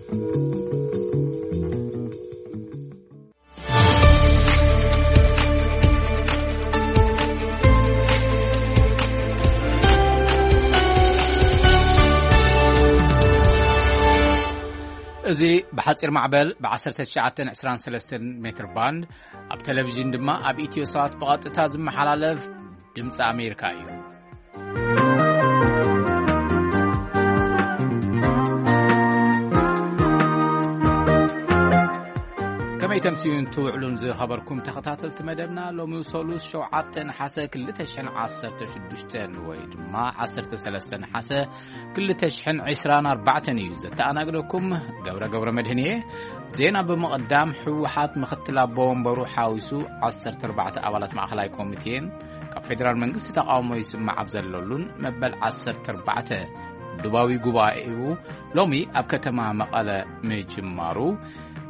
እዚ ብሓጺር ማዕበል ብ1923 ሜትር ባንድ፣ ኣብ ቴሌቪዥን ድማ ኣብ ኢትዮ ሳት ብቐጥታ ዝመሓላለፍ ድምፂ ኣሜሪካ እዩ። ከመይ ተምስዩን ትውዕሉን ዝኸበርኩም ተኸታተልቲ መደብና፣ ሎሚ ሰሉስ 7 ነሓሰ 2016 ወይ ድማ 13 ነሓሰ 2024 እዩ። ዘተኣናግደኩም ገብረ ገብረ መድህን እየ። ዜና ብምቕዳም፣ ህወሓት ምኽትል ኣቦ ወንበሩ ሓዊሱ 14 ኣባላት ማእኸላይ ኮሚቴን ካብ ፌደራል መንግስቲ ተቃውሞ ይስማዕ ኣብ ዘለሉን መበል 14 ዱባዊ ጉባኤኡ ሎሚ ኣብ ከተማ መቐለ ምጅማሩ፣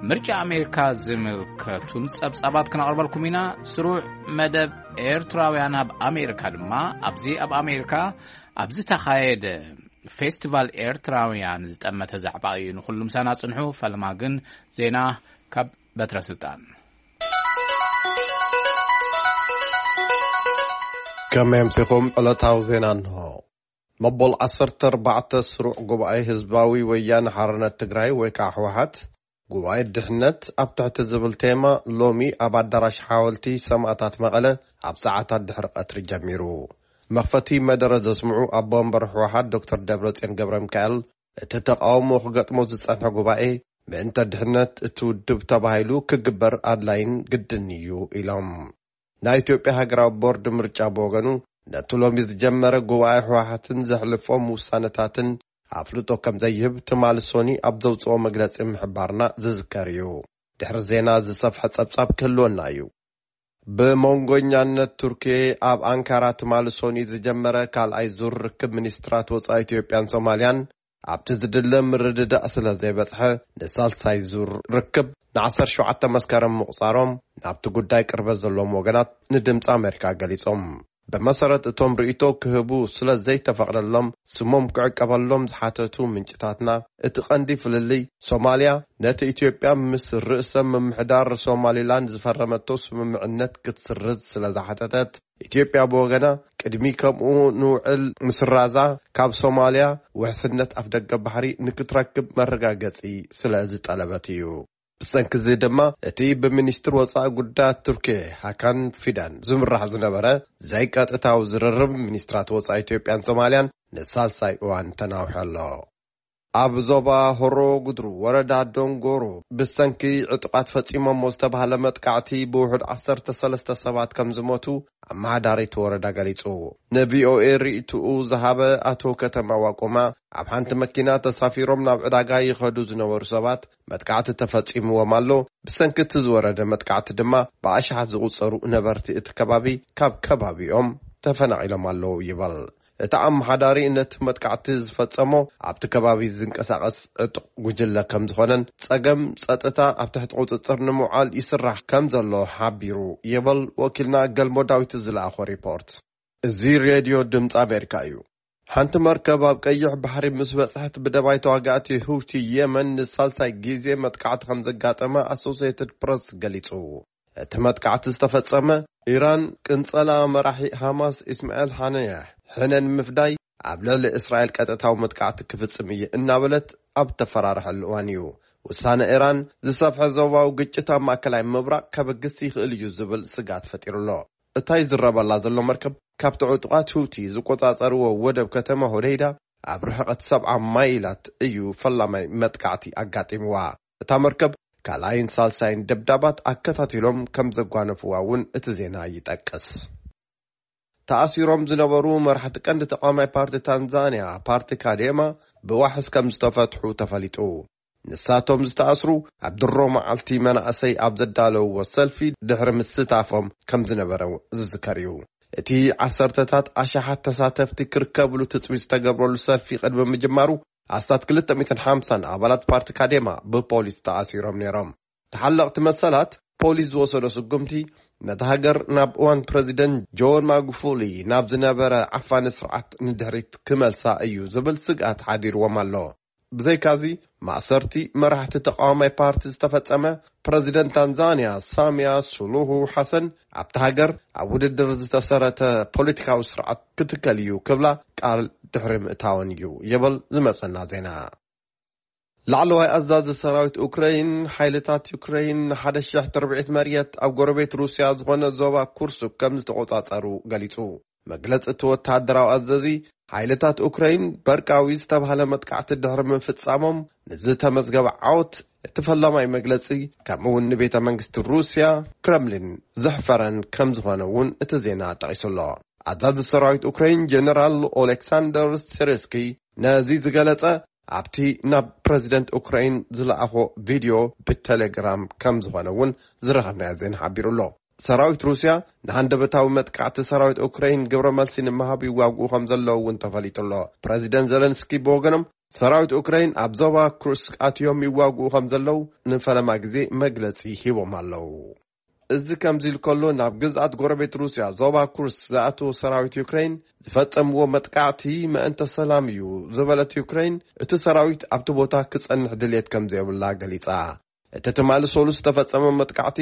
ምርጫ ኣሜሪካ ዝምልከቱን ጸብጻባት ክነቕርበልኩም ኢና። ስሩዕ መደብ ኤርትራውያን ኣብ ኣሜሪካ ድማ ኣብዚ ኣብ ኣሜሪካ ኣብ ዝተኻየደ ፌስቲቫል ኤርትራውያን ዝጠመተ ዛዕባ እዩ። ንኹሉ ምሳና ጽንሑ። ፈለማ ግን ዜና ካብ በትረ ስልጣን። ከመይ ኣምሲኹም? ዕለታዊ ዜና እንሆ። መበል 14 ስሩዕ ጉባኤ ህዝባዊ ወያነ ሓርነት ትግራይ ወይ ከዓ ህወሓት ጉባኤ ድሕነት ኣብ ትሕቲ ዝብል ቴማ ሎሚ ኣብ ኣዳራሽ ሓወልቲ ሰማእታት መቐለ ኣብ ሰዓታት ድሕሪ ቀትሪ ጀሚሩ። መኽፈቲ መደረ ዘስምዑ ኣቦ ወንበር ህወሓት ዶክተር ደብረጽዮን ገብረ ሚካኤል፣ እቲ ተቃውሞ ክገጥሞ ዝጸንሐ ጉባኤ ምእንተ ድሕነት እቲ ውድብ ተባሂሉ ክግበር ኣድላይን ግድን እዩ ኢሎም። ናይ ኢትዮጵያ ሃገራዊ ቦርድ ምርጫ ብወገኑ፣ ነቲ ሎሚ ዝጀመረ ጉባኤ ህወሓትን ዘሕልፎም ውሳነታትን ኣፍልጦ ከም ዘይህብ ትማሊ ሶኒ ኣብ ዘውፅኦ መግለፂ ምሕባርና ዝዝከር እዩ። ድሕሪ ዜና ዝሰፍሐ ጸብጻብ ክህልወና እዩ። ብመንጎኛነት ቱርኪ ኣብ ኣንካራ ትማሊ ሶኒ ዝጀመረ ካልኣይ ዙር ርክብ ሚኒስትራት ወጻኢ ኢትዮጵያን ሶማልያን ኣብቲ ዝድለ ምርድዳእ ስለ ዘይበጽሐ፣ ንሳልሳይ ዙር ርክብ ን17 መስከረም ምቑጻሮም ናብቲ ጉዳይ ቅርበት ዘለዎም ወገናት ንድምጺ ኣሜሪካ ገሊጾም። ብመሰረት እቶም ርእይቶ ክህቡ ስለ ዘይተፈቕደሎም ስሞም ክዕቀበሎም ዝሓተቱ ምንጭታትና፣ እቲ ቀንዲ ፍልልይ ሶማልያ ነቲ ኢትዮጵያ ምስ ርእሰ ምምሕዳር ሶማሊላንድ ዝፈረመቶ ስምምዕነት ክትስርዝ ስለ ዝሓተተት፣ ኢትዮጵያ ብወገና ቅድሚ ከምኡ ንውዕል ምስራዛ ካብ ሶማልያ ውሕስነት ኣፍደገ ባሕሪ ንክትረክብ መረጋገጺ ስለ ዝጠለበት እዩ። ብሰንኪ እዚ ድማ እቲ ብሚኒስትር ወጻኢ ጉዳያት ቱርኪ ሃካን ፊዳን ዝምራሕ ዝነበረ ዘይቀጥታዊ ዝርርብ ሚኒስትራት ወጻኢ ኢትዮጵያን ሶማልያን ንሳልሳይ እዋን ተናውሑ ኣሎ። ኣብ ዞባ ሆሮ ጉድሩ ወረዳ ዶንጎሮ ብሰንኪ ዕጡቓት ፈጺሞሞ ዝተባህለ መጥቃዕቲ ብውሑድ 13 ሰባት ከም ዝሞቱ ኣመሓዳሪ እቲ ወረዳ ገሊጹ። ንቪኦኤ ርእይትኡ ዝሃበ ኣቶ ከተማ ዋቆማ፣ ኣብ ሓንቲ መኪና ተሳፊሮም ናብ ዕዳጋ ይኸዱ ዝነበሩ ሰባት መጥቃዕቲ ተፈጺምዎም ኣሎ። ብሰንኪ እቲ ዝወረደ መጥቃዕቲ ድማ ብኣሽሓት ዝቑጸሩ ነበርቲ እቲ ከባቢ ካብ ከባቢኦም ተፈናቒሎም ኣለዉ ይበል። እቲ ኣመሓዳሪ ነቲ መጥቃዕቲ ዝፈጸሞ ኣብቲ ከባቢ ዝንቀሳቐስ ዕጡቕ ጉጅለ ከም ዝኾነን ጸገም ጸጥታ ኣብ ትሕቲ ቁጽጽር ንምውዓል ይስራሕ ከም ዘሎ ሓቢሩ ይበል ወኪልና ገልሞ ዳዊት ዝለኣኾ ሪፖርት። እዚ ሬድዮ ድምፂ ኣሜሪካ እዩ። ሓንቲ መርከብ ኣብ ቀይሕ ባሕሪ ምስ በጽሐት ብደባይ ተዋጋእቲ ሁቲ የመን ንሳልሳይ ግዜ መጥቃዕቲ ከም ዘጋጠመ ኣሶሲየትድ ፕረስ ገሊጹ። እቲ መጥቃዕቲ ዝተፈጸመ ኢራን ቅንጸላ መራሒ ሃማስ ኢስማኤል ሃነያህ ሕነ ንምፍዳይ ኣብ ልዕሊ እስራኤል ቀጥታዊ መጥቃዕቲ ክፍጽም እየ እናበለት ኣብ ተፈራርሐሉ እዋን እዩ። ውሳነ ኢራን ዝሰፍሐ ዞባዊ ግጭት ኣብ ማእከላይ ምብራቕ ከበግስ ይኽእል እዩ ዝብል ስግኣት ፈጢሩ ኣሎ። እታ ይዝረበላ ዘሎ መርከብ ካብቲ ዕጡቓት ሁቲ ዝቆጻጸርዎ ወደብ ከተማ ሆደይዳ ኣብ ርሕቐት 70 ማይላት እዩ ፈላማይ መጥቃዕቲ ኣጋጢምዋ። እታ መርከብ ካልኣይን ሳልሳይን ደብዳባት ኣከታቲሎም ከም ዘጓነፍዋ እውን እቲ ዜና ይጠቅስ። ተኣሲሮም ዝነበሩ መራሕቲ ቀንዲ ተቃዋማይ ፓርቲ ታንዛንያ ፓርቲ ካዴማ ብዋሕስ ከም ዝተፈትሑ ተፈሊጡ። ንሳቶም ዝተኣስሩ ኣብ ድሮ መዓልቲ መናእሰይ ኣብ ዘዳለውዎ ሰልፊ ድሕሪ ምስታፎም ከም ዝነበረ ዝዝከር እዩ። እቲ ዓሰርተታት ኣሽሓት ተሳተፍቲ ክርከብሉ ትጽቢት ዝተገብረሉ ሰልፊ ቅድሚ ምጅማሩ ኣስታት 250 ኣባላት ፓርቲ ካዴማ ብፖሊስ ተኣሲሮም ነይሮም። ተሓለቕቲ መሰላት ፖሊስ ዝወሰዶ ስጉምቲ ነቲ ሃገር ናብ እዋን ፕረዚደንት ጆን ማጉፉሊ ናብ ዝነበረ ዓፋኒ ስርዓት ንድሕሪት ክመልሳ እዩ ዝብል ስግኣት ሓዲርዎም ኣሎ። ብዘይካዚ፣ ማእሰርቲ መራሕቲ ተቃዋማይ ፓርቲ ዝተፈጸመ፣ ፕረዚደንት ታንዛንያ ሳሚያ ሱሉሁ ሓሰን ኣብቲ ሃገር ኣብ ውድድር ዝተሰረተ ፖለቲካዊ ስርዓት ክትከል እዩ ክብላ ቃል ድሕሪ ምእታወን እዩ ይብል ዝመጸና ዜና። ላዕለዋይ ኣዛዚ ሰራዊት ኡክረይን፣ ሓይልታት ዩክረይን ንሓደ ሽሕ ትርብዒት መርየት ኣብ ጎረቤት ሩስያ ዝኾነ ዞባ ኩርሱክ ከም ዝተቆጻጸሩ ገሊጹ። መግለጺ እቲ ወተሃደራዊ ኣዘዚ፣ ሓይልታት ኡክረይን በርቃዊ ዝተባህለ መጥቃዕቲ ድሕሪ ምፍጻሞም ንዝተመዝገበ ዓወት እቲ ፈላማይ መግለጺ፣ ከምኡ እውን ንቤተ መንግስቲ ሩስያ ክረምሊን ዘሕፈረን ከም ዝኾነ እውን እቲ ዜና ጠቒሱ ኣሎ። ኣዛዚ ሰራዊት ኡክረይን ጀነራል ኦሌክሳንደር ሲርስኪ ነዚ ዝገለጸ ኣብቲ ናብ ፕረዚደንት ኡክራይን ዝለኣኾ ቪድዮ ብቴሌግራም ከም ዝኾነ እውን ዝረኸብናዮ ዜና ሓቢሩ ኣሎ። ሰራዊት ሩስያ ንሃንደበታዊ መጥቃዕቲ ሰራዊት ኡክራይን ግብረ መልሲ ንምሃብ ይዋግኡ ከም ዘለዉ እውን ተፈሊጡ ኣሎ። ፕረዚደንት ዘለንስኪ ብወገኖም፣ ሰራዊት ኡክራይን ኣብ ዞባ ኩርስክ ኣትዮም ይዋግኡ ከም ዘለዉ ንፈለማ ግዜ መግለጺ ሂቦም ኣለዉ። እዚ ከምዚ ኢሉ ከሎ፣ ናብ ግዝኣት ጎረቤት ሩስያ ዞባ ኩርስ ዝኣተወ ሰራዊት ዩክሬን ዝፈጸምዎ መጥቃዕቲ ምእንተ ሰላም እዩ ዝበለት ዩክሬን፣ እቲ ሰራዊት ኣብቲ ቦታ ክጸንሕ ድልየት ከም ዘየብላ ገሊጻ። እቲ ትማሊ ሰሉስ ዝተፈጸመ መጥቃዕቲ፣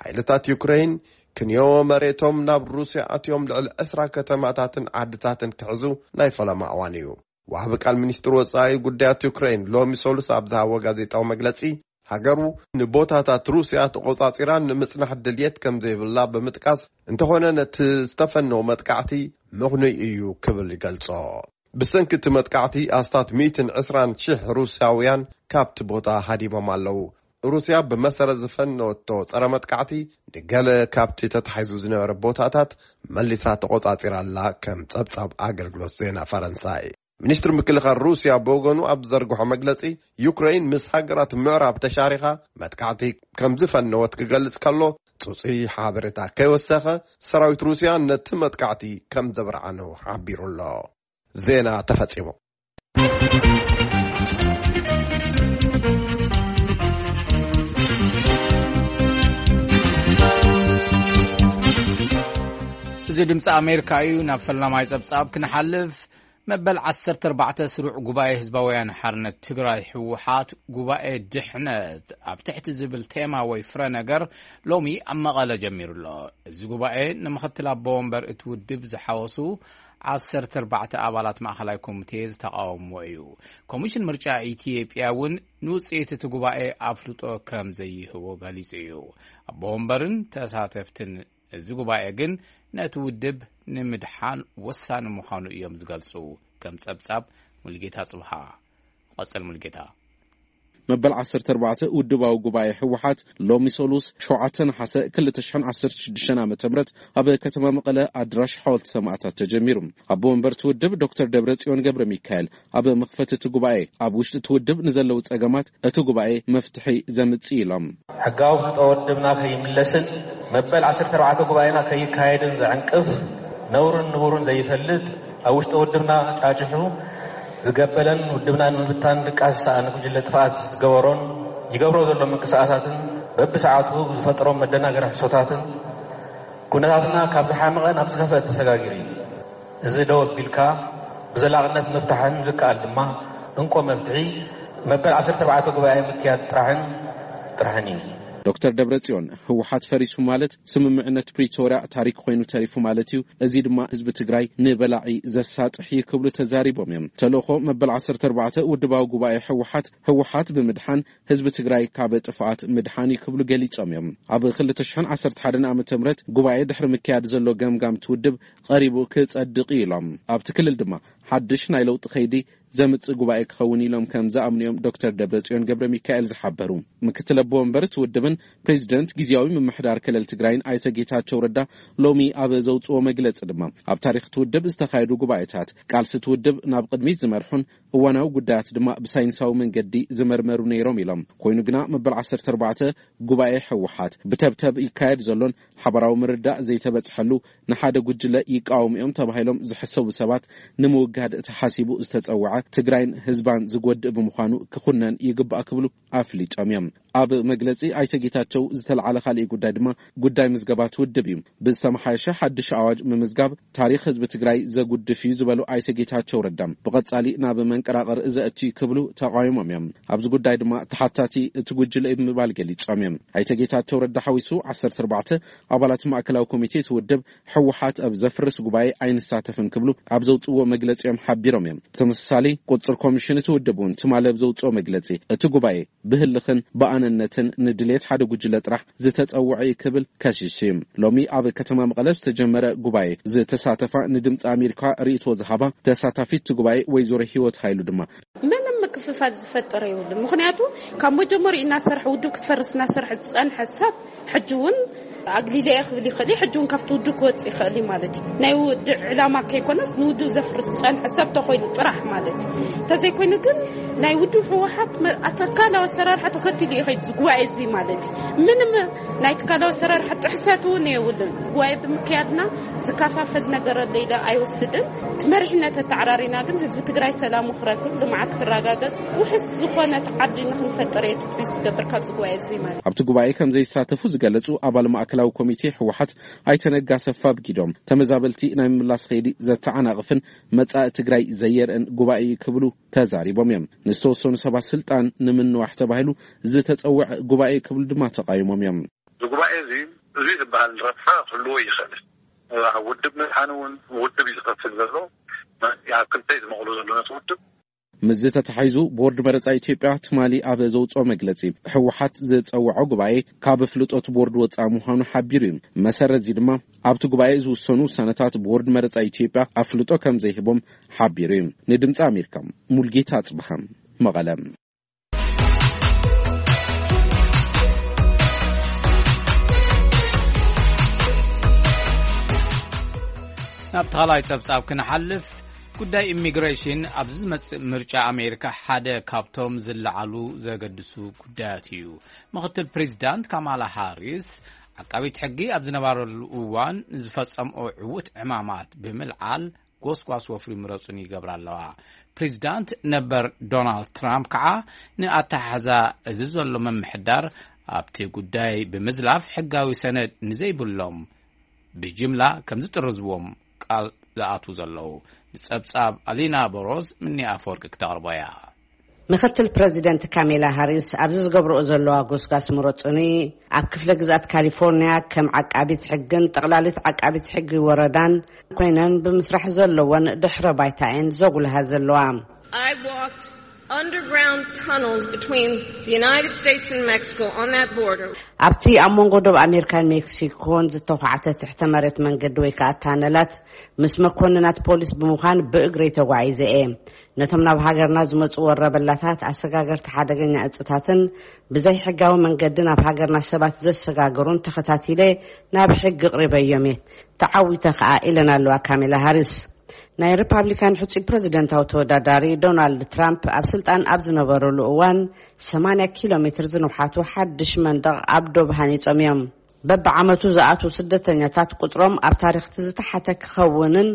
ሓይልታት ዩክሬን ክንዮ መሬቶም ናብ ሩስያ ኣትዮም ልዕሊ ዕስራ ከተማታትን ዓድታትን ክሕዙ ናይ ፈለማ እዋን እዩ። ወሃቢ ቃል ሚኒስትር ወጻኢ ጉዳያት ዩክሬን ሎሚ ሰሉስ ኣብ ዝሃቦ ጋዜጣዊ መግለጺ፣ ሃገሩ ንቦታታት ሩስያ ተቖጻጺራ ንምጽናሕ ድልየት ከም ዘይብላ ብምጥቃስ፣ እንተኾነ ነቲ ዝተፈነወ መጥቃዕቲ ምኽኑይ እዩ ክብል ይገልጾ። ብሰንኪ እቲ መጥቃዕቲ ኣስታት ሚእትን ዕስራን ሽሕ ሩስያውያን ካብቲ ቦታ ሃዲሞም ኣለዉ። ሩስያ ብመሰረት ዝፈነወቶ ጸረ መጥቃዕቲ፣ ንገለ ካብቲ ተታሒዙ ዝነበረ ቦታታት መሊሳ ተቖጻጺራ ኣላ፣ ከም ጸብጻብ ኣገልግሎት ዜና ፈረንሳይ። ሚኒስትሪ ምክልኻል ሩስያ ብወገኑ ኣብ ዘርግሖ መግለጺ፣ ዩክረይን ምስ ሃገራት ምዕራብ ተሻሪኻ መጥቃዕቲ ከም ዝፈነወት ክገልጽ ከሎ፣ ጽጹይ ሓበሬታ ከይወሰኸ፣ ሰራዊት ሩስያ ነቲ መጥቃዕቲ ከም ዘብርዓኑ ሓቢሩ ኣሎ። ዜና ተፈጺሙ። እዚ ድምፂ ኣሜሪካ እዩ። ናብ ፈላማይ ጸብጻብ ክንሓልፍ፣ መበል ዓሰርተ ኣርባዕተ ስሩዕ ጉባኤ ህዝባውያን ሓርነት ትግራይ፣ ህወሓት፣ ጉባኤ ድሕነት ኣብ ትሕቲ ዝብል ቴማ ወይ ፍረ ነገር ሎሚ ኣብ መቐለ ጀሚሩ ኣሎ። እዚ ጉባኤ ንምኽትል ኣቦ ወንበር እቲ ውድብ ዝሓወሱ ዓሰርተ ኣርባዕተ ኣባላት ማእኸላይ ኮሚቴ ዝተቓወምዎ እዩ። ኮሚሽን ምርጫ ኢትዮጵያ እውን ንውፅኢት እቲ ጉባኤ ኣፍልጦ ከም ዘይህቦ ገሊጹ እዩ። ኣቦ ወንበርን ተሳተፍትን እዚ ጉባኤ ግን ነቲ ውድብ ንምድሓን ወሳኒ ምዃኑ እዮም ዝገልጹ። ከም ጸብጻብ ሙልጌታ ጽብሃ። ቀጽል ሙልጌታ። መበል ዓሰርተ ኣርባዕተ ውድባዊ ጉባኤ ህወሓት ሎሚ ሰሉስ ሸውዓተ ነሓሰ ክልተ ሽሕን ዓሰርተ ሽዱሽተን ዓመተ ምህረት ኣብ ከተማ መቐለ ኣድራሽ ሓወልቲ ሰማእታት ተጀሚሩ። ኣቦ ወንበር እቲ ውድብ ዶክተር ደብረጽዮን ገብረ ሚካኤል ኣብ መኽፈቲ እቲ ጉባኤ፣ ኣብ ውሽጢ እቲ ውድብ ንዘለዉ ጸገማት እቲ ጉባኤ መፍትሒ ዘምጽእ ኢሎም። ሕጋዊ ፍልጦ ወድብና ከይምለስን መበል ዓሰርተ ኣርባዕተ ጉባኤና ከይካየድን ዘዕንቅፍ፣ ነውርን ንቡርን ዘይፈልጥ፣ ኣብ ውሽጢ ውድብና ጫጭሑ ዝገበለን ውድብና ንምብታን ድቃስ ዝሰኣነ ጉጅለ ጥፍኣት ዝገበሮን ይገብሮ ዘሎ ምንቅስቓሳትን በብሰዓቱ ዝፈጥሮም መደናገሪ ሕሶታትን ኩነታትና ካብ ዝሓመቐ ናብ ዝኸፍአ ተሰጋጊሩ እዩ። እዚ ደው ኣቢልካ ብዘላቕነት ምፍታሕን ዝከኣል ድማ እንኮ መፍትሒ መበል ዓሰርተ ኣርባዕተ ጉባኤ ምክያድ ጥራሕን ጥራሕን እዩ። ዶክተር ደብረጽዮን፣ ህወሓት ፈሪሱ ማለት ስምምዕነት ፕሪቶርያ ታሪክ ኮይኑ ተሪፉ ማለት እዩ፣ እዚ ድማ ህዝቢ ትግራይ ንበላዒ ዘሳጥሕ እዩ ክብሉ ተዛሪቦም እዮም። ተልእኾ መበል ዓሰርተ ኣርባዕተ ውድባዊ ጉባኤ ህወሓት፣ ህወሓት ብምድሓን ህዝቢ ትግራይ ካብ ጥፍኣት ምድሓን እዩ ክብሉ ገሊጾም እዮም። ኣብ ክልተ ሽሕን ዓሰርተ ሓደን ዓመተ ምህረት ጉባኤ ድሕሪ ምክያድ ዘሎ ገምጋም እቲ ውድብ ቀሪቡ ክጸድቕ እዩ ኢሎም። ኣብቲ ክልል ድማ ሓድሽ ናይ ለውጢ ከይዲ ዘምጽእ ጉባኤ ክኸውን ኢሎም ከም ዝኣምኑ እዮም ዶክተር ደብረጽዮን ገብረ ሚካኤል ዝሓበሩ። ምክትል ኣቦ ወንበር እቲ ውድብን ፕሬዚደንት ግዝያዊ ምምሕዳር ክልል ትግራይን ኣይተ ጌታቸው ረዳ ሎሚ ኣብ ዘውጽኦ መግለጺ ድማ፣ ኣብ ታሪኽ እቲ ውድብ ዝተኻየዱ ጉባኤታት ቃልሲ እቲ ውድብ ናብ ቅድሚት ዝመርሑን እዋናዊ ጉዳያት ድማ ብሳይንሳዊ መንገዲ ዝመርመሩ ነይሮም ኢሎም። ኮይኑ ግና መበል ዓሰርተ ኣርባዕተ ጉባኤ ህወሓት ብተብተብ ይካየድ ዘሎን ሓባራዊ ምርዳእ ዘይተበጽሐሉ ንሓደ ጉጅለ ይቃወሙ እዮም ተባሂሎም ዝሕሰቡ ሰባት ንምውጋድ ተሓሲቡ ዝተጸውዐ ትግራይን ህዝባን ዝጎድእ ብምዃኑ ክኹነን ይግባእ ክብሉ ኣፍሊጦም እዮም። ኣብ መግለጺ ኣይተ ጌታቸው ዝተለዓለ ካሊእ ጉዳይ ድማ ጉዳይ ምዝገባት ውድብ እዩ። ብዝተመሓየሸ ሓድሽ ኣዋጅ ምምዝጋብ ታሪኽ ህዝቢ ትግራይ ዘጉድፍ እዩ ዝበሉ ኣይተ ጌታቸው ረዳ፣ ብቐጻሊ ናብ መንቀራቐር ዘእቱ እዩ ክብሉ ተቓዊሞም እዮም። ኣብዚ ጉዳይ ድማ ተሓታቲ እቲ ጉጅለ እዩ ብምባል ገሊጾም እዮም። ኣይተ ጌታቸው ረዳ ሓዊሱ ዓሰርተ ኣርባዕተ ኣባላት ማእከላዊ ኮሚቴ እቲ ውድብ ህወሓት ኣብ ዘፍርስ ጉባኤ ኣይንሳተፍን ክብሉ ኣብ ዘውፅዎ መግለፂ እዮም ሓቢሮም እዮም። ብተመሳሳሊ ቁፅር ኮሚሽን እቲ ውድብ እውን ትማሊ ኣብ ዘውፅኦ መግለፂ እቲ ጉባኤ ብህልኽን ብኣነነትን ንድሌት ሓደ ጉጅለ ጥራሕ ዝተፀውዐ እዩ ክብል ከሲሱ እዩ። ሎሚ ኣብ ከተማ መቐለ ዝተጀመረ ጉባኤ ዝተሳተፋ ንድምፂ ኣሜሪካ ርእይቶ ዝሃባ ተሳታፊት እቲ ጉባኤ ወይዘሮ ህይወት ሃይሉ ድማ ምንም ምክፍፋል ዝፈጠረ የብሉን። ምኽንያቱ ካብ መጀመሪኡ እናሰርሐ ውድብ ክትፈርስ እናሰርሐ ዝፀንሐ ሰብ ሕጂ እውን ኣግሊለ እየ ክብል ይኽእል እዩ። ሕጂ እውን ካብቲ ውድብ ክወፅእ ይኽእል እዩ ማለት እዩ። ናይ ውድብ ዕላማ ከይኮነስ ንውድብ ዘፍርስ ዝፀንሐ ሰብ ተኮይኑ ጥራሕ ማለት እዩ። እንተዘይኮይኑ ግን ናይ ውድብ ህወሓት መ- ኣተካላዊ ኣሰራርሓ ተከቲሉ እዩ ከይዱ ዝጉባኤ እዚ ማለት እዩ። ምንም ናይ ትካላዊ ኣሰራርሓ ጥሕሰት እውን የብሉን። ጉባኤ ብምክያድና ዝከፋፈል ነገር ኣለ ኢለ ኣይወስድን። እቲ መሪሕነት ኣተዓራሪና ግን ህዝቢ ትግራይ ሰላሙ ክረክብ፣ ልምዓት ክረጋገጽ፣ ውሕስ ዝኾነት ዓዲ ንኽንፈጥር እየ ትጽቢት ዝገብር ካብዚ ጉባኤ እዚ ማለት እዩ። ኣብቲ ጉባኤ ከም ዘይሳተፉ ዝገለጹ ኣባል ማእከላዊ ኮሚቴ ህወሓት ኣይተ ነጋ ኣሰፋ ብጊዶም፣ ተመዛበልቲ ናይ ምምላስ ከይዲ ዘተዓናቕፍን መጻኢ ትግራይ ዘየርእን ጉባኤ እዩ ክብሉ ተዛሪቦም እዮም። ንዝተወሰኑ ሰባት ስልጣን ንምንዋሕ ተባሂሉ ዝተጸውዐ ጉባኤ ክብሉ ድማ ተቃይሞም እዮም። እዚ ጉባኤ እዚ፣ እዚ ዝበሃል ረብሓ ክህልዎ ይኽእል። ኣብ ውድብ ምድሓን እውን ውድብ እዩ ዝኸፍል ዘሎ። ኣብ ክልተ እዩ ዝመቕሎ ዘሎ ነቲ ውድብ። ምስዚ ተተሓሒዙ ቦርድ መረፃ ኢትዮጵያ ትማሊ ኣብ ዘውፅኦ መግለፂ ህወሓት ዝፀውዖ ጉባኤ ካብ ኣፍልጦ እቲ ቦርድ ወፃኢ ምዃኑ ሓቢሩ እዩ። መሰረት እዚ ድማ ኣብቲ ጉባኤ ዝውሰኑ ውሳነታት ቦርድ መረፃ ኢትዮጵያ ኣፍልጦ ከም ዘይህቦም ሓቢሩ እዩ። ንድምፂ ኣሜሪካ ሙልጌታ ኣፅብሃ መቐለ። ናብ ተኻላይ ጸብጻብ ክንሓልፍ፣ ጉዳይ ኢሚግሬሽን ኣብዚ ዝመጽእ ምርጫ ኣሜሪካ ሓደ ካብቶም ዝለዓሉ ዘገድሱ ጉዳያት እዩ። ምኽትል ፕሬዚዳንት ካማላ ሃሪስ ዓቃቢት ሕጊ ኣብ ዝነበረሉ እዋን ዝፈጸምኦ ዕዉት ዕማማት ብምልዓል ጎስጓስ ወፍሪ ምረጹን ይገብራ ኣለዋ። ፕሬዚዳንት ነበር ዶናልድ ትራምፕ ከዓ ንኣተሓሕዛ እዚ ዘሎ ምምሕዳር ኣብቲ ጉዳይ ብምዝላፍ ሕጋዊ ሰነድ ንዘይብሎም ብጅምላ ከም ዝጥርዝዎም ቃል ዝኣትዉ ዘለዉ። ንጸብጻብ ኣሊና በሮዝ ምኒ ኣፈወርቂ ክተቕርቦ እያ። ምኽትል ፕረዚደንት ካሜላ ሃሪስ ኣብዚ ዝገብርኦ ዘለዋ ጎስጓስ ምረጹኒ ኣብ ክፍለ ግዝኣት ካሊፎርኒያ ከም ዓቃቢት ሕግን ጠቕላሊት ዓቃቢት ሕጊ ወረዳን ኮይነን ብምስራሕ ዘለወን ድሕረ ባይታ እየን ዘጉልሃ ዘለዋ። I walked underground tunnels between the United States and Mexico on that border. ኣብቲ ኣብ መንጎ ዶብ ኣሜሪካን ሜክሲኮን ዝተዃዕተ ትሕተ መሬት መንገዲ ወይ ከዓ ታነላት ምስ መኮንናት ፖሊስ ብምዃን ብእግረይ ተጓዒዘ እየ። ነቶም ናብ ሃገርና ዝመጹ ወረበላታት፣ ኣሰጋገርቲ ሓደገኛ እጽታትን ብዘይ ሕጋዊ መንገዲ ናብ ሃገርና ሰባት ዘሰጋግሩን ተኸታቲለ ናብ ሕጊ ኣቕሪበዮም እየ። ተዓዊተ ከኣ ኢለን ኣለዋ ካሜላ ሃሪስ። ናይ ሪፓብሊካን ሕጹይ ፕረዚደንታዊ ተወዳዳሪ ዶናልድ ትራምፕ ኣብ ስልጣን ኣብ ዝነበረሉ እዋን ሰማንያ ኪሎ ሜትር ዝንውሓቱ ሓድሽ መንደቕ ኣብ ዶብ ሃኒጾም እዮም። በብዓመቱ ዝኣትዉ ስደተኛታት ቁጽሮም ኣብ ታሪኽ እቲ ዝተሓተ ክኸውንን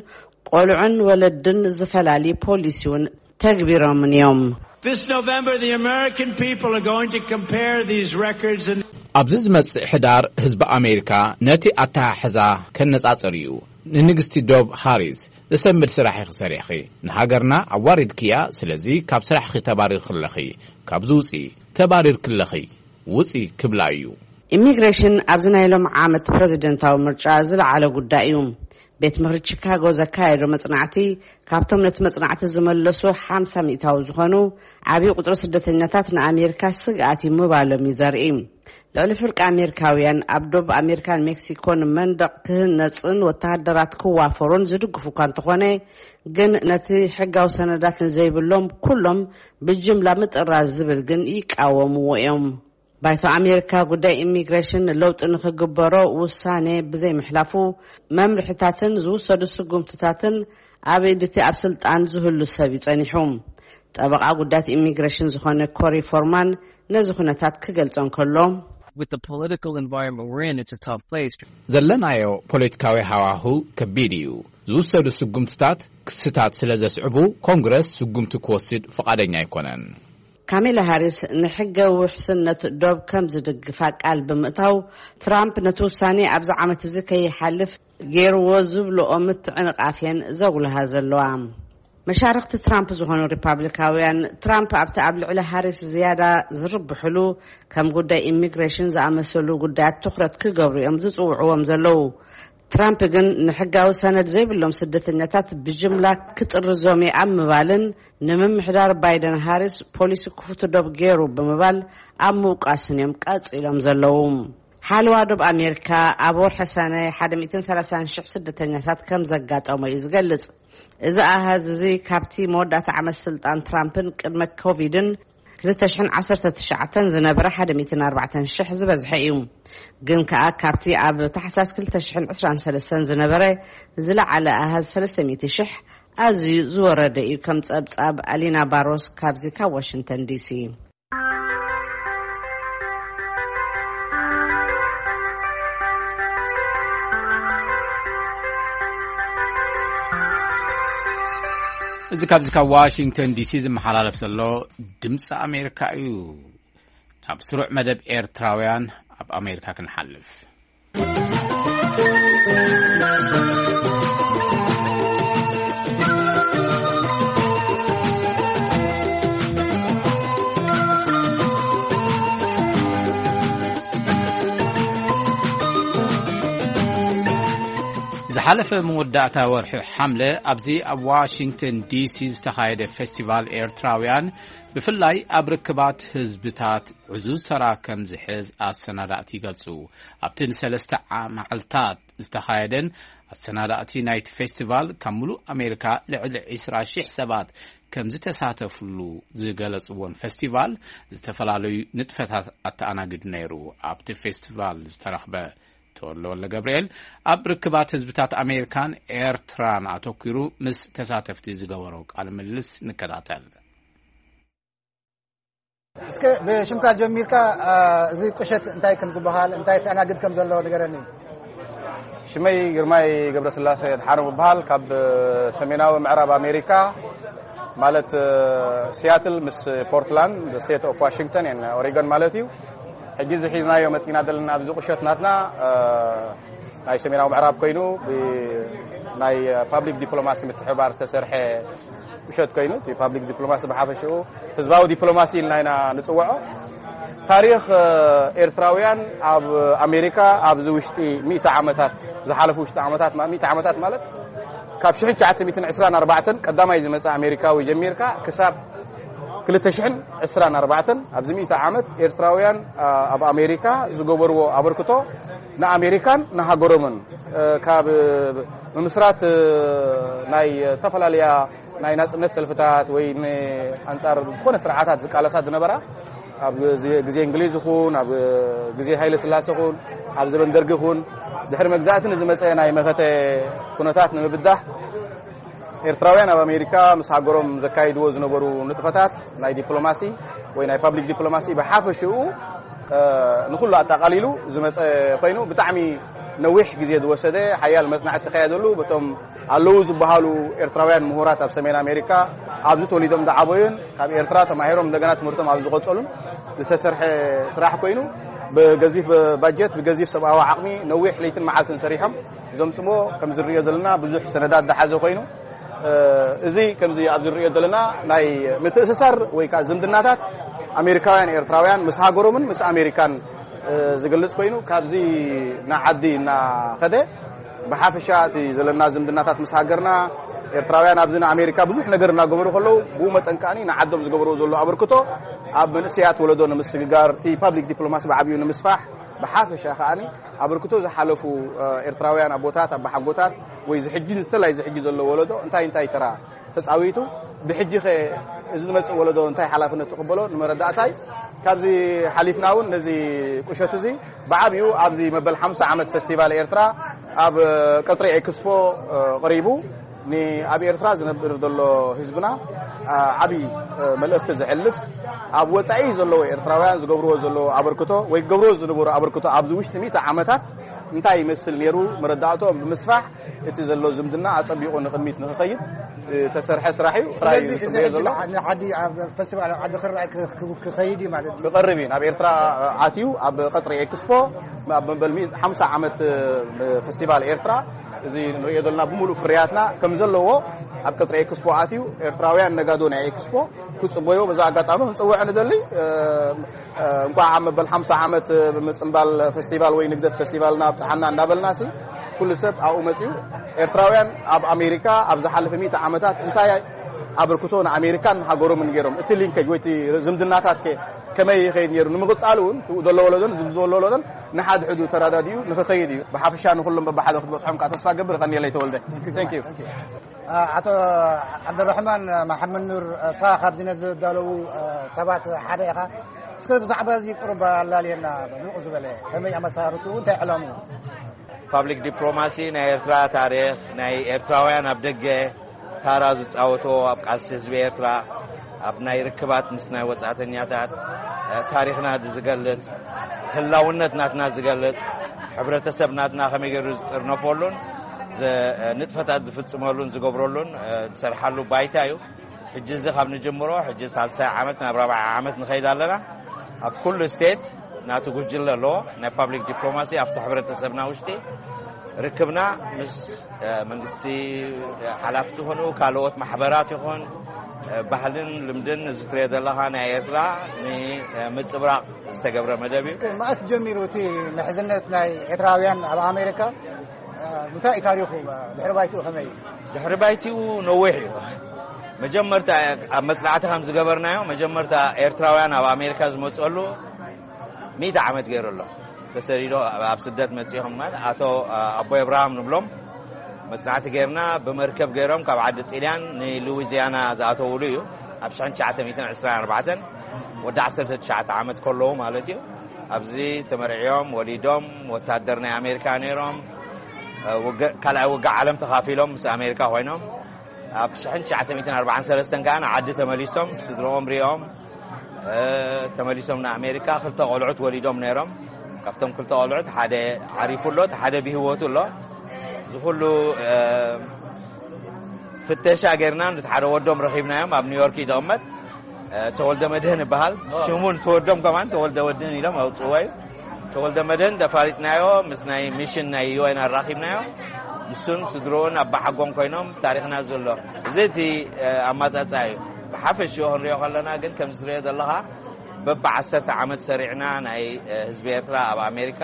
ቆልዑን ወለድን ዝፈላሊ ፖሊሲ እውን ተግቢሮምን እዮም። This November, the American people are going to compare these records and ኣብዚ ዝመጽእ ሕዳር ህዝቢ ኣሜሪካ ነቲ ኣተሓሕዛ ከነጻጽር እዩ። ንንግስቲ ዶብ ሃሪስ፣ ዘሰንብድ ስራሕ ኢኺ ሰሪሕኺ። ንሃገርና ኣዋሪድክያ፣ ስለዚ ካብ ስራሕኺ ተባሪርኪ ኣለኺ። ካብዚ ውጺ፣ ተባሪርኪ ኣለኺ። ውጺ ክብላ እዩ። ኢሚግሬሽን ኣብዚ ናይ ሎም ዓመት ፕረዚደንታዊ ምርጫ ዝለዓለ ጉዳይ እዩ። ቤት ምኽሪ ቺካጎ ዘካየዶ መጽናዕቲ፣ ካብቶም ነቲ መጽናዕቲ ዝመለሱ ሓምሳ ሚእታዊ ዝኾኑ ዓብዪ ቁጽሪ ስደተኛታት ንኣሜሪካ ስግኣት እዩ ምባሎም እዩ ዘርኢ። ልዕሊ ፍርቂ ኣሜሪካውያን ኣብ ዶብ ኣሜሪካን ሜክሲኮን መንደቕ ክህነጽን ወተሃደራት ክዋፈሩን ዝድግፉ እኳ እንተኾነ፣ ግን ነቲ ሕጋዊ ሰነዳት ንዘይብሎም ኩሎም ብጅምላ ምጥራዝ ዝብል ግን ይቃወምዎ እዮም። ባይቶ ኣሜሪካ ጉዳይ ኢሚግሬሽን ለውጢ ንኽግበሮ ውሳኔ ብዘይምሕላፉ፣ መምርሕታትን ዝውሰዱ ስጉምትታትን ኣብ ኢድ እቲ ኣብ ስልጣን ዝህሉ ሰብ እዩ ጸኒሑ። ጠበቓ ጉዳያት ኢሚግሬሽን ዝኾነ ኮሪ ፎርማን ነዚ ኩነታት ክገልጾ እንከሎ፣ With the political environment we're in, it's a tough place. ዘለናዮ ፖለቲካዊ ሃዋሁ ከቢድ እዩ። ዝውሰዱ ስጉምትታት ክስታት ስለ ዘስዕቡ፣ ኮንግረስ ስጉምቲ ክወስድ ፍቓደኛ ኣይኮነን። ካሜላ ሃሪስ ንሕገ ውሕስነት ዶብ ከም ዝድግፋ ቃል ብምእታው፣ ትራምፕ ነቲ ውሳኔ ኣብዚ ዓመት እዚ ከይሓልፍ ገይርዎ ዝብልኦ ምትዕንቓፍ እየን ዘጉልሃ ዘለዋ። መሻርኽቲ ትራምፕ ዝኾኑ ሪፓብሊካውያን፣ ትራምፕ ኣብቲ ኣብ ልዕሊ ሃሪስ ዝያዳ ዝርብሕሉ ከም ጉዳይ ኢሚግሬሽን ዝኣመሰሉ ጉዳያት ትኹረት ክገብሩ እዮም ዝጽውዕዎም ዘለዉ። ትራምፕ ግን ንሕጋዊ ሰነድ ዘይብሎም ስደተኛታት ብጅምላ ክጥርዞም እየ ኣብ ምባልን ንምምሕዳር ባይደን ሃሪስ ፖሊሲ ክፉት ዶብ ገይሩ ብምባል ኣብ ምውቃስን እዮም ቀጺሎም ዘለዉ። ሓለዋ ዶብ ኣሜሪካ ኣብ ወርሒ ሰነ ሓደ ሚእትን ሰላሳን ሽሕ ስደተኛታት ከም ዘጋጠሞ እዩ ዝገልጽ። እዚ ኣሃዝ እዚ ካብቲ መወዳእታ ዓመት ስልጣን ትራምፕን ቅድመ ኮቪድን ክልተ ሽሕን ዓሰርተ ትሽዓተን ዝነበረ ሓደ ሚእትን ኣርባዕተን ሽሕ ዝበዝሐ እዩ። ግን ከኣ ካብቲ ኣብ ታሕሳስ ክልተ ሽሕን ዕስራን ሰለስተን ዝነበረ ዝለዓለ ኣሃዝ ሰለስተ ሚእቲ ሽሕ ኣዝዩ ዝወረደ እዩ። ከም ጸብጻብ ኣሊና ባሮስ ካብዚ ካብ ዋሽንግተን ዲሲ። እዚ ካብዚ ካብ ዋሽንግተን ዲሲ ዝመሓላለፍ ዘሎ ድምፂ ኣሜሪካ እዩ። ናብ ስሩዕ መደብ ኤርትራውያን ኣብ ኣሜሪካ ክንሓልፍ። ዝሓለፈ መወዳእታ ወርሒ ሓምለ ኣብዚ ኣብ ዋሽንግተን ዲሲ ዝተኻየደ ፌስቲቫል ኤርትራውያን ብፍላይ ኣብ ርክባት ህዝብታት ዕዙዝ ተራ ከም ዝሕዝ ኣሰናዳእቲ ይገልጹ። ኣብቲ ንሰለስተ ዓ-፣ መዓልታት ዝተኻየደን ኣሰናዳእቲ ናይቲ ፌስቲቫል ካብ ምሉእ ኣሜሪካ ልዕሊ ዕስራ ሺሕ ሰባት ከም ዝተሳተፍሉ ዝገለጽዎን ፌስቲቫል ዝተፈላለዩ ንጥፈታት ኣተኣናግድ ነይሩ። ኣብቲ ፌስቲቫል ዝተረኽበ ተወልደ ወልደ ገብርኤል ኣብ ርክባት ህዝብታት ኣሜሪካን ኤርትራን ኣተኲሩ ምስ ተሳተፍቲ ዝገበሮ ቃለ ምልልስ ንከታተል። እስከ ብሽምካ ጀሚርካ፣ አ፣ እዚ ቁሸት እንታይ ከም ዝበሃል፣ እንታይ ተኣናግድ ከም ዘሎ ንገረኒ። ሽመይ ግርማይ ገብረስላሴ ድሓኖም እበሃል። ካብ ሰሜናዊ ምዕራብ ኣሜሪካ፣ ማለት፣ ሲያትል ምስ ፖርትላንድ፣ ስቴት ኦፍ ዋሽንግተን ኤን ኦሪገን ማለት እዩ። ሕጂ እዚ ሒዝናዮ መጺና ዘለና ኣብዚ ቁሸት ናትና፣ እ፣ ናይ ሰሜናዊ ምዕራብ ኮይኑ፣ ብ-፣ ናይ ፓብሊክ ዲፕሎማሲ ምትሕብባር ዝተሰርሐ ቁሸት ኮይኑ፣ እቲ ፓብሊክ ዲፕሎማሲ ብሓፈሽኡ ህዝባዊ ዲፕሎማሲ ኢልና ኢና ንጽውዖ። ታሪኽ፣ እ፣ ኤርትራውያን ኣብ ኣሜሪካ ኣብዚ ውሽጢ ሚእቲ ዓመታት፣ ዝሓለፉ ውሽጢ ዓመታት ማ-፣ ሚእቲ ዓመታት ማለት ካብ ሽሕን ትሽዓተ ሚእትን ዕስራን ኣርባዕተን ቀዳማይ ዝመጸ ኣሜሪካዊ ጀሚርካ ክሳብ ክልተ ሽሕን ዕስራን ኣርባዕተን ኣብዚ ሚእቲ ዓመት ኤርትራውያን፣ አ፣ ኣብ ኣሜሪካ ዝገበርዎ ኣበርክቶ ንኣሜሪካን ንሃገሮምን፣ እ፣ ካብ ምምስራት፣ እ፣ ናይ ዝተፈላለያ ናይ ናጽነት ሰልፍታት ወይ ንኣንጻር ዝኾነ ስርዓታት ዝቃለሳ ዝነበራ ኣብ ግዜ፣ ግዜ እንግሊዝ ይኹን ኣብ ግዜ ሃይለ ስላሴ ይኹን ኣብ ዘበን ደርጊ ይኹን ድሕሪ መግዛእቲ ንዝመጸ ናይ መኸተ ኩነታት ንምብዳህ ኤርትራውያን ኣብ ኣሜሪካ ምስ ሃገሮም ዘካይድዎ ዝነበሩ ንጥፈታት ናይ ዲፕሎማሲ ወይ ናይ ፓብሊክ ዲፕሎማሲ ብሓፈሽኡ፣ እ፣ ንኹሉ ኣጠቓሊሉ ዝመጸ ኮይኑ ብጣዕሚ ነዊሕ ግዜ ዝወሰደ ሓያል መጽናዕቲ ተካየደሉ። በቶም ኣለዉ ዝበሃሉ ኤርትራውያን ምሁራት ኣብ ሰሜን ኣሜሪካ ኣብዚ ተወሊዶም ዝዓበዩን ካብ ኤርትራ ተማሂሮም እንደገና ትምህርቶም ኣብ ዝቐጸሉን ዝተሰርሐ ስራሕ ኮይኑ ብገዚፍ ባጀት፣ ብገዚፍ ሰብኣዊ ዓቕሚ ነዊሕ ለይትን መዓልትን ሰሪሖም ዘምጽሞ ከም ዝርእዮ ዘለና ብዙሕ ሰነዳት ዝሓዘ ኮይኑ፣ እ፣ እዚ ከምዚ ኣብዚ ንርእዮ ዘለና ናይ ምትእስሳር ወይ ከዓ ዝምድናታት ኣሜሪካውያን ኤርትራውያን ምስ ሃገሮምን ምስ ኣሜሪካን፣ እ፣ ዝገልጽ ኮይኑ ካብዚ ንዓዲ እናኸደ ብሓፈሻ እቲ ዘለና ዝምድናታት ምስ ሃገርና ኤርትራውያን ኣብዚ ንኣሜሪካ ብዙሕ ነገር እናገበሩ ከለዉ ብኡ መጠን ከኣኒ ንዓዶም ዝገብርዎ ዘሎ ኣበርክቶ ኣብ መንእሰያት ወለዶ ንምስግጋር እቲ ፓብሊክ ዲፕሎማሲ ብዓብዩ ንምስፋሕ ብሓፈሻ ከኣኒ ኣበርክቶ ዝሓለፉ፣ እ፣ ኤርትራውያን ኣቦታት፣ ኣባሓጎታት ወይ ዝሕጂ፣ ዝተላይ ዝሕጂ ዘሎ ወለዶ እንታይ እንታይ ተራ ተጻዊቱ፣ ብሕጂ ኸ እዚ ዝመጽእ ወለዶ እንታይ ሓላፍነት ትቕበሎ ንመረዳእታይ፣ ካብዚ ሓሊፍና እውን ነዚ ቁሸት እዚ ብዓብዩ ኣብዚ መበል ሓምሳ ዓመት ፌስቲቫል ኤርትራ ኣብ ቀጽሪ ኤክስፖ፣ እ፣ ቀሪቡ ንኣብ ኤርትራ ዝነብር ዘሎ ህዝብና፣ እ፣ ዓቢ፣ እ፣ መልእኽቲ ዘሕልፍ፣ ኣብ ወጻኢ ዘለዉ ኤርትራውያን ዝገብርዎ ዘለዉ ኣበርክቶ ወይ ክገብርዎ ዝነበሩ ኣበርክቶ ኣብዚ ውሽጢ ሚእቲ ዓመታት እንታይ ይመስል ነይሩ መረዳእቶም ብምስፋሕ እቲ ዘሎ ዝምድና ኣጸቢቑ ንቕድሚት ንኽኸይድ ዝተሰርሐ ስራሕ እዩ። ስራሕ እዩ ዝጽበዮ ዘሎ። ዓዲ ኣብ ፌስቲቫል ዓዲ ክረኣይ ክኸይድ እዩ ማለት እዩ። ክቐርብ እዩ። ናብ ኤርትራ ኣትዩ ኣብ ቀጽሪ ኤክስፖ ኣብ መበል ሓምሳ ዓመት ፌስቲቫል ኤርትራ እዚ ንሪኦ ዘለና ብምሉእ ፍርያትና ከም ዘለዎ ኣብ ቀጽሪ ኤክስፖ ኣትዩ ኤርትራውያን ነጋዶ ናይ ኤክስፖ ክጽበዮ በዛ ኣጋጣሚ ክንጽውዕ ንደሊ። እንኳዕ ኣብ መበል ሓምሳ ዓመት ብምጽንባል ፌስቲቫል ወይ ንግደት ፌስቲቫልና ኣብጽሓና እንዳበልና ሲ ኩሉ ሰብ ኣብኡ መጺኡ ኤርትራውያን ኣብ ኣሜሪካ ኣብ ዝሓለፈ ሚእቲ ዓመታት እንታይ ኣበርክቶ ንኣሜሪካን ሃገሮምን ገይሮም እቲ ሊንከጅ ወይ እቲ ዝምድናታት ከ ከመይ ይኸይድ ነይሩ ንምቕጻሉ እውን ትኡ ዘሎ ወለዶን ዝብ ዘሎ ወለዶን ንሓድሕዱ ተረዳዲኡ ንኽኸይድ እዩ። ብሓፈሻ ንኹሎም በብሓደ ክትበጽሖም ከዓ ተስፋ ገብር። ቀኒለይ ተወልደ። Thank you። ኣቶ ዓብደራሕማን መሓመድ ኑር፣ ንስኻ ካብዚ ነዚ ዘዳለዉ ሰባት ሓደ ኢኻ። እስከ ብዛዕባ እዚ ቁሩብ ኣላልየና፣ ምቕ ዝበለ ከመይ ኣመሳርትኡ እንታይ ዕላምኡ? ፓብሊክ ዲፕሎማሲ ናይ ኤርትራ ታሪኽ ናይ ኤርትራውያን ኣብ ደገ ታራ ዝጻወቶ ኣብ ቃልሲ ህዝቢ ኤርትራ ኣብ ናይ ርክባት ምስ ናይ ወጻእተኛታት ታሪኽና ዝገልጽ ህላውነት ናትና ዝገልጽ ሕብረተሰብ ናትና ከመይ ገይሩ ዝጥርነፈሉን ንጥፈታት ዝፍጽመሉን ዝገብረሉን ዝሰርሓሉ ባይታ እዩ። ሕጂ እዚ ካብ ንጅምሮ ሕጂ ሳልሳይ ዓመት ናብ ራብዓይ ዓመት ንኸይድ ኣለና። ኣብ ኩሉ ስቴት ናቱ ጉጅለ ኣለዎ ናይ ፓብሊክ ዲፕሎማሲ ኣብቲ ሕብረተሰብና ውሽጢ ርክብና ምስ መንግስቲ ሓላፍቲ ይኹኑ ካልኦት ማሕበራት ይኹን ባህልን ልምድን እዚ ትሪኦ ዘለኻ ናይ ኤርትራ ንምጽብራቕ ዝተገብረ መደብ እዩ። እስከ መኣስ ጀሚሩ እቲ ምሕዝነት ናይ ኤርትራውያን ኣብ ኣሜሪካ? እንታይ እዩ ታሪኹ? ድሕሪ ባይትኡ ከመይ እዩ? ድሕሪ ባይትኡ ነዊሕ እዩ። መጀመርታ ኣብ መጽናዕቲ ከም ዝገበርናዮ መጀመርታ ኤርትራውያን ኣብ ኣሜሪካ ዝመጽሉ ሚእቲ ዓመት ገይሩ ኣሎ። ተሰዲዶ ኣብ ስደት መጺኦም ማለት ኣቶ ኣቦይ ኣብርሃም ንብሎም መጽናዕቲ ገይርና ብመርከብ ገይሮም ካብ ዓዲ ጢልያን ንሉዊዚያና ዝኣተውሉ እዩ። ኣብ ሽሕን ትሽዓተ ሚእትን ዕስራን ኣርባዕተን ወዲ ዓሰርተ ትሽዓተ ዓመት ከለዉ ማለት እዩ። ኣብዚ ተመርዕዮም ወሊዶም ወታደር ናይ ኣሜሪካ ነይሮም። ካልኣይ ውግእ ዓለም ተኻፊሎም ምስ ኣሜሪካ ኮይኖም ኣብ ሽሕን ትሽዓተ ሚእትን ኣርባዓን ሰለስተን ከዓ ንዓዲ ተመሊሶም ስድርኦም ሪኦም ተመሊሶም ንኣሜሪካ ክልተ ቆልዑት ወሊዶም ነይሮም። ካብቶም ክልተ ቆልዑት ሓደ ዓሪፉ ኣሎ፣ እቲ ሓደ ብህይወቱ ኣሎ። እዚ ኩሉ ፍተሻ ጌርና ነቲ ሓደ ወዶም ረኺብናዮም ኣብ ኒውዮርክ እዩ ዝቕመጥ። ተወልደ መድህን ይበሃል። ሽሙ ንተወዶም ከማን ተወልደ ወድህን ኢሎም ኣውፅዎ እዩ። ተወልደ መድህን ተፋሊጥናዮ ምስ ናይ ሚሽን ናይ ዩኤን ኣራኺብናዮ። ንሱን ስድርኡን ኣባሓጎን ኮይኖም ታሪኽና ዘሎ እዚ እቲ ኣማፃፃ እዩ። ብሓፈሽኡ ክንሪኦ ከለና ግን ከም ዝትሪኦ ዘለኻ በብ ዓሰርተ ዓመት ሰሪዕና ናይ ህዝቢ ኤርትራ ኣብ ኣሜሪካ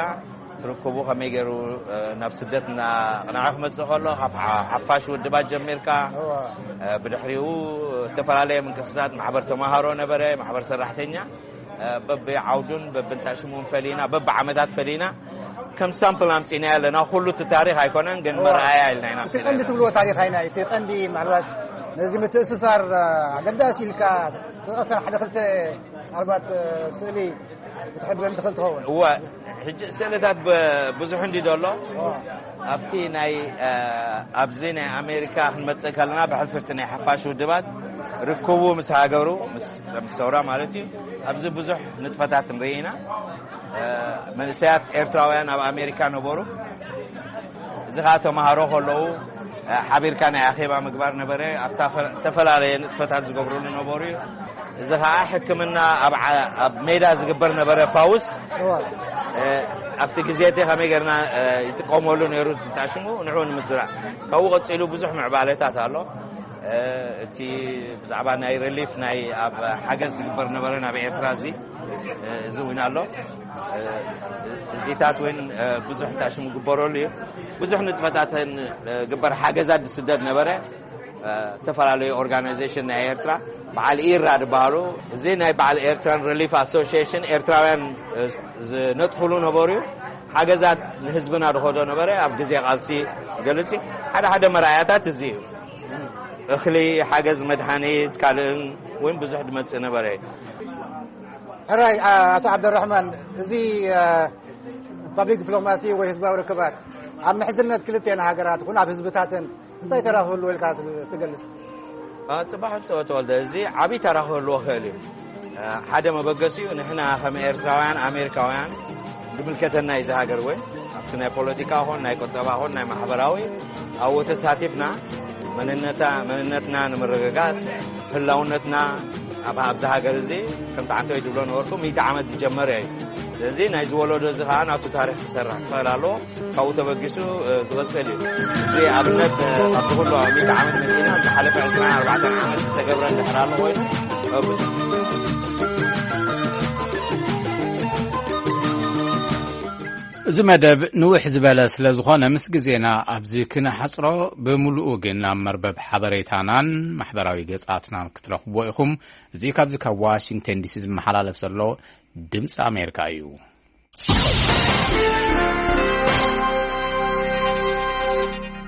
ትርክቡ ከመይ ገይሩ ናብ ስደት እናቕንዐ ክመፅእ ከሎ ካብ ሓፋሽ ውድባት ጀሚርካ ብድሕሪኡ ዝተፈላለየ ምንቅስቃሳት ማሕበር ተማሃሮ ነበረ፣ ማሕበር ሰራሕተኛ በብዓውዱን በብንታሽሙን ፈሊና በብዓመታት ፈሊና ከም ሳምፕል ኣምፂና ኣለና። ኩሉ እቲ ታሪክ ኣይኮነን ግን መርኣያ ኢልና ኢና እቲ ቀንዲ ትብልዎ ታሪክ ኣይና እቲ ቀንዲ ምናልባት ነዚ ምትእስሳር ኣገዳሲ ኢልካ ተጠቀሰን ሓደ ክልተ ምናልባት ስእሊ ክትሕብረኒ ትኽእል ትኸውን። እወ፣ ሕጂ ስእልታት ብዙሕ እንዲ ደሎ ኣብቲ ናይ ኣብዚ ናይ ኣሜሪካ ክንመፅእ ከለና ብሕልፍርቲ ናይ ሓፋሽ ውድባት ርክቡ ምስ ሃገሩ ምስ ሰውራ ማለት እዩ። ኣብዚ ብዙሕ ንጥፈታት ንርኢ ኢና። መንእሰያት ኤርትራውያን ኣብ ኣሜሪካ ነበሩ። እዚ ከዓ ተምሃሮ ከለዉ ሓቢርካ ናይ ኣኼባ ምግባር ነበረ። ኣብታ ዝተፈላለየ ንጥፈታት ዝገብርሉ ነበሩ እዩ። እዚ ከዓ ሕክምና ኣብ ሜዳ ዝግበር ነበረ ፋውስ ኣብቲ ግዜ እቲ ከመይ ጌርና ይጥቀመሉ ነይሩ ትታሽሙ ንዑ ንምዝራእ ካብኡ ቀፂሉ ብዙሕ ምዕባለታት ኣሎ። እቲ ብዛዕባ ናይ ሪሊፍ ናይ ኣብ ሓገዝ ዝግበር ነበረ ናብ ኤርትራ እዚ እዚ እውን ኣሎ። እዚታት እውን ብዙሕ ታሽሙ ግበረሉ እዩ። ብዙሕ ንጥፈታትን ግበር ሓገዛት ዝስደድ ነበረ። ዝተፈላለዩ ኦርጋናይዜሽን ናይ ኤርትራ በዓል ኢራ ዝበሃሉ እዚ ናይ በዓል ኤርትራን ሪሊፍ ኣሶሲሽን ኤርትራውያን ዝነጥፍሉ ነበሩ እዩ። ሓገዛት ንህዝብና ድኸዶ ነበረ ኣብ ግዜ ቃልሲ ገልጽ ሓደ ሓደ መርኣያታት እዚ እዩ። እኽሊ ሓገዝ መድሓኒት ካልእን እውን ብዙሕ ድመጽእ ነበረ። ሕራይ ኣቶ ዓብደራሕማን እዚ ፓብሊክ ዲፕሎማሲ ወይ ህዝባዊ ርክባት ኣብ ምሕዝነት ክልተን ሃገራት ይኹን ኣብ ህዝብታትን እንታይ ተራ ክህልዎ ኢልካ ትገልጽ? ጽባሕ ተወልደ እዚ ዓብዪ ተራ ክህልዎ ክእል እዩ። ሓደ መበገሲኡ ንሕና ከም ኤርትራውያን ኣሜሪካውያን ዝምልከተና እዩ። እዚ ሃገር እውን ኣብቲ ናይ ፖለቲካ ኾን ናይ ቁጠባ ኾን ናይ ማሕበራዊ ኣብኡ ተሳቲፍና መንነታ መንነትና ንምርግጋጽ፣ ህላውነትና ኣብ ኣብዚ ሃገር እዚ ከምቲ ዓንተወይ ዝብሎ ነበርኩ ሚእቲ ዓመት ዝጀመረ እዩ። ስለዚ ናይ ዝወለዶ እዚ ኸዓ ናቱ ታሪኽ ክሰርሕ ክኽእል ኣለዎ። ካብኡ ተበጊሱ ዝቐጽል እዩ። እዚ ኣብነት ካብቲ ኩሉ ሚእቲ ዓመት መጺና ዝሓለፈ ዕስራን ኣርባዕተን ዓመት ዝተገብረ እንድሕር ኣሎ ኮይኑ እዚ መደብ ንውሕ ዝበለ ስለ ዝኾነ ምስ ግዜና ኣብዚ ክነሓጽሮ፣ ብምሉኡ ግን ኣብ መርበብ ሓበሬታናን ማሕበራዊ ገጻትናን ክትረኽብዎ ኢኹም። እዚ ካብዚ ካብ ዋሽንግተን ዲሲ ዝመሓላለፍ ዘሎ ድምፂ ኣሜሪካ እዩ።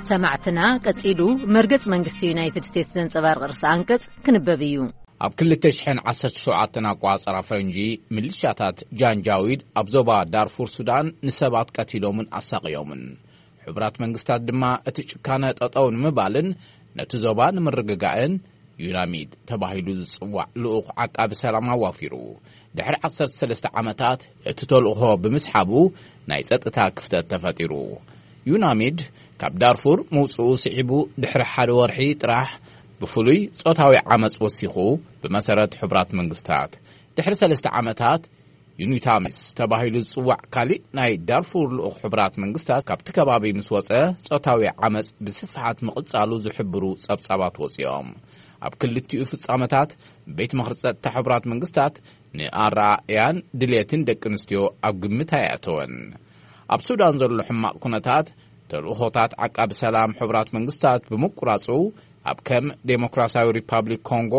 ሰማዕትና፣ ቀጺሉ መርገጽ መንግስቲ ዩናይትድ ስቴትስ ዘንጸባርቕ ርእሰ ኣንቀጽ ክንበብ እዩ። ኣብ ክልተ ሽሕን ዓሰርተ ሸውዓተን ኣቋጸራ ፈረንጂ፣ ምልሻታት ጃንጃዊድ ኣብ ዞባ ዳርፉር ሱዳን ንሰባት ቀቲሎምን ኣሳቕዮምን። ሕቡራት መንግስታት ድማ እቲ ጭካነ ጠጠው ንምባልን ነቲ ዞባ ንምርግጋእን ዩናሚድ ተባሂሉ ዝጽዋዕ ልኡኽ ዓቃቢ ሰላም ኣዋፊሩ። ድሕሪ ዓሰርተ ሰለስተ ዓመታት እቲ ተልእኾ ብምስሓቡ ናይ ጸጥታ ክፍተት ተፈጢሩ። ዩናሚድ ካብ ዳርፉር ምውጽኡ ስዒቡ ድሕሪ ሓደ ወርሒ ጥራሕ ብፍሉይ ጾታዊ ዓመጽ ወሲኹ፣ ብመሰረት ሕቡራት መንግስታት። ድሕሪ ሰለስተ ዓመታት ዩኒታሚስ ተባሂሉ ዝጽዋዕ ካሊእ ናይ ዳርፉር ልኡኽ ሕቡራት መንግስታት ካብቲ ከባቢ ምስ ወጸ፣ ጾታዊ ዓመጽ ብስፍሓት ምቕጻሉ ዝሕብሩ ጸብጻባት ወጺኦም። ኣብ ክልቲኡ ፍጻመታት ቤት ምኽሪ ጸጥታ ሕቡራት መንግስታት ንኣረኣእያን ድሌትን ደቂ ኣንስትዮ ኣብ ግምት ኣየእተወን። ኣብ ሱዳን ዘሎ ሕማቕ ኩነታት፣ ተልእኾታት ዓቃቢ ሰላም ሕቡራት መንግስታት ብምቁራጹ፣ ኣብ ከም ዴሞክራሲያዊ ሪፓብሊክ ኮንጎ፣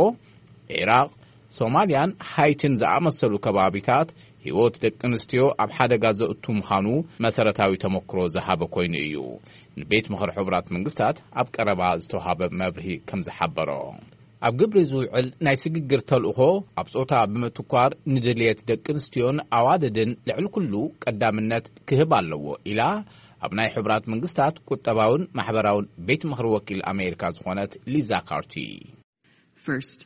ዒራቕ፣ ሶማልያን ሃይቲን ዝኣመሰሉ ከባቢታት ህይወት ደቂ ኣንስትዮ ኣብ ሓደጋ ዘእቱ ምዃኑ መሰረታዊ ተመክሮ ዝሃበ ኮይኑ እዩ። ንቤት ምኽሪ ሕቡራት መንግስታት ኣብ ቀረባ ዝተዋሃበ መብርሂ ከም ዝሓበሮ፣ ኣብ ግብሪ ዝውዕል ናይ ስግግር ተልእኾ ኣብ ጾታ ብምትኳር ንድልየት ደቂ ኣንስትዮን ኣዋልድን ልዕሊ ኩሉ ቀዳምነት ክህብ ኣለዎ ኢላ ኣብ ናይ ሕቡራት መንግስታት ቁጠባውን ማሕበራውን ቤት ምኽሪ ወኪል ኣሜሪካ ዝኾነት ሊዛ ካርቲ። First,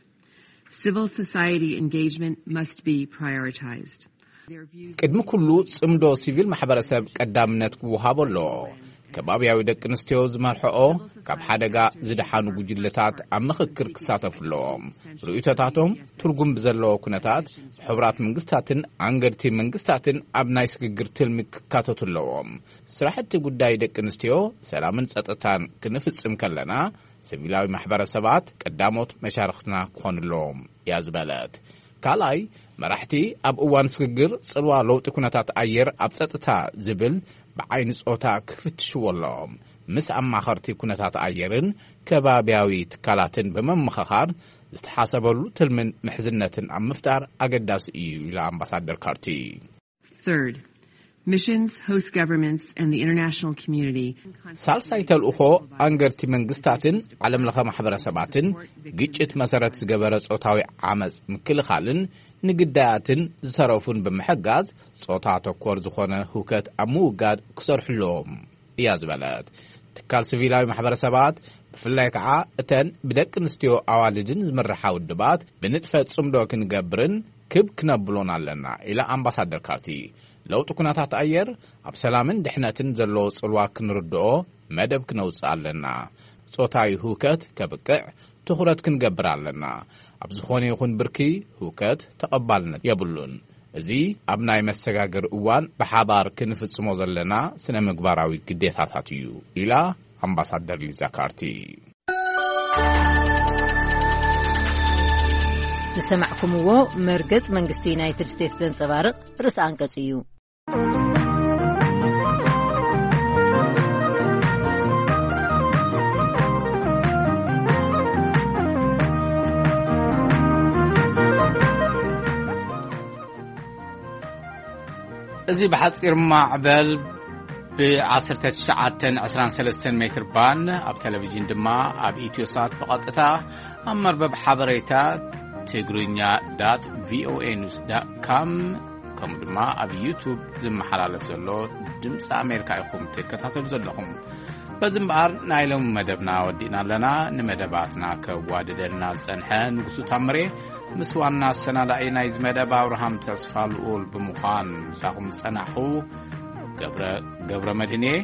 civil society engagement must be prioritized. Their views ቅድሚ ኩሉ ጽምዶ ሲቪል ማሕበረሰብ ቀዳምነት ክወሃቦ ኣለዎ። ከባብያዊ ደቂ ኣንስትዮ ዝመርሕኦ ካብ ሓደጋ ዝደሓኑ ጉጅለታት ኣብ ምኽክር ክሳተፉ ኣለዎም። ርእይቶታቶም ትርጉም ብዘለዎ ኩነታት ብሕቡራት መንግስታትን ኣንገድቲ መንግስታትን ኣብ ናይ ስግግር ትልሚ ክካተቱ ኣለዎም። ስራሕቲ ጉዳይ ደቂ ኣንስትዮ ሰላምን ጸጥታን ክንፍጽም ከለና፣ ሲቪላዊ ማሕበረሰባት ቀዳሞት መሻርኽትና ክኾኑ ኣለዎም እያ ዝበለት። ካልኣይ፣ መራሕቲ ኣብ እዋን ስግግር ጽልዋ ለውጢ ኩነታት ኣየር ኣብ ጸጥታ ዝብል ብዓይኒ ጾታ ክፍትሽዎ ኣለዎም። ምስ ኣማኸርቲ ኩነታት ኣየርን ከባብያዊ ትካላትን ብምምኽኻር ዝተሓሰበሉ ትልምን ምሕዝነትን ኣብ ምፍጣር ኣገዳሲ እዩ ኢላ ኣምባሳደር ካርቲ። Third, missions, host governments, and the international community ሳልሳይ ተልእኾ፣ ኣንገርቲ መንግስታትን ዓለም ለኸ ማሕበረሰባትን ግጭት መሰረት ዝገበረ ጾታዊ ዓመፅ ምክልኻልን ንግዳያትን ዝተረፉን ብምሕጋዝ ጾታ ተኮር ዝኾነ ህውከት ኣብ ምውጋድ ክሰርሑ ኣለዎም እያ ዝበለት። ትካል ሲቪላዊ ማሕበረሰባት፣ ብፍላይ ከዓ እተን ብደቂ ኣንስትዮ ኣዋልድን ዝምርሓ ውድባት፣ ብንጥፈት ጽምዶ ክንገብርን ክብ ክነብሎን ኣለና ኢላ ኣምባሳደር ካርቲ። ለውጢ ኩነታት ኣየር ኣብ ሰላምን ድሕነትን ዘለዎ ጽልዋ ክንርድኦ መደብ ክነውጽእ ኣለና። ጾታዊ ህውከት ከብቅዕ ትኹረት ክንገብር ኣለና። ኣብ ዝኾነ ይኹን ብርኪ ህውከት ተቐባልነት የብሉን። እዚ ኣብ ናይ መሰጋገሪ እዋን ብሓባር ክንፍጽሞ ዘለና ስነ ምግባራዊ ግዴታታት እዩ ኢላ ኣምባሳደር ሊዛ ካርቲ። ዝሰማዕኩምዎ መርገጽ መንግስቲ ዩናይትድ ስቴትስ ዘንጸባርቕ ርእሰ ኣንቀጽ እዩ። እዚ ብሓጺር ማዕበል ብ ዓሰርተ ትሽዓተን ዕስራን ሰለስተን ሜትር ባንድ፣ ኣብ ቴሌቪዥን ድማ ኣብ ኢትዮሳት ብቐጥታ፣ ኣብ መርበብ ሓበሬታ ትግርኛ ዳት ቪኦኤ ኒውስ ዳት ካም፣ ከምኡ ድማ ኣብ ዩቱብ ዝመሓላለፍ ዘሎ ድምፂ ኣሜሪካ ኢኹም ትከታተሉ ዘለኹም። በዚ እምበኣር ናይ ሎሚ መደብና ወዲእና ኣለና። ንመደባትና ከዋድደልና ዝጸንሐ ንጉሱ ታምሬ፣ ምስ ዋና ኣሰናዳኢ ናይዚ መደብ ኣብርሃም ተስፋ ልኡል ብምዃን ምሳኹም ዝጸናሕኹ ገብረ፣ ገብረ መድህን እየ።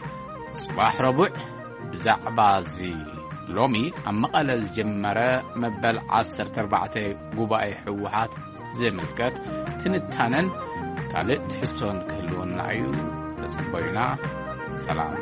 ጽባሕ ረቡዕ ብዛዕባ እዚ ሎሚ ኣብ መቐለ ዝጀመረ መበል ዓሰርተ ኣርባዕተ ጉባኤ ህወሓት ዝምልከት ትንታነን ካልእ ትሕዝቶን ክህልወና እዩ። ተጸበዩና። ሰላም።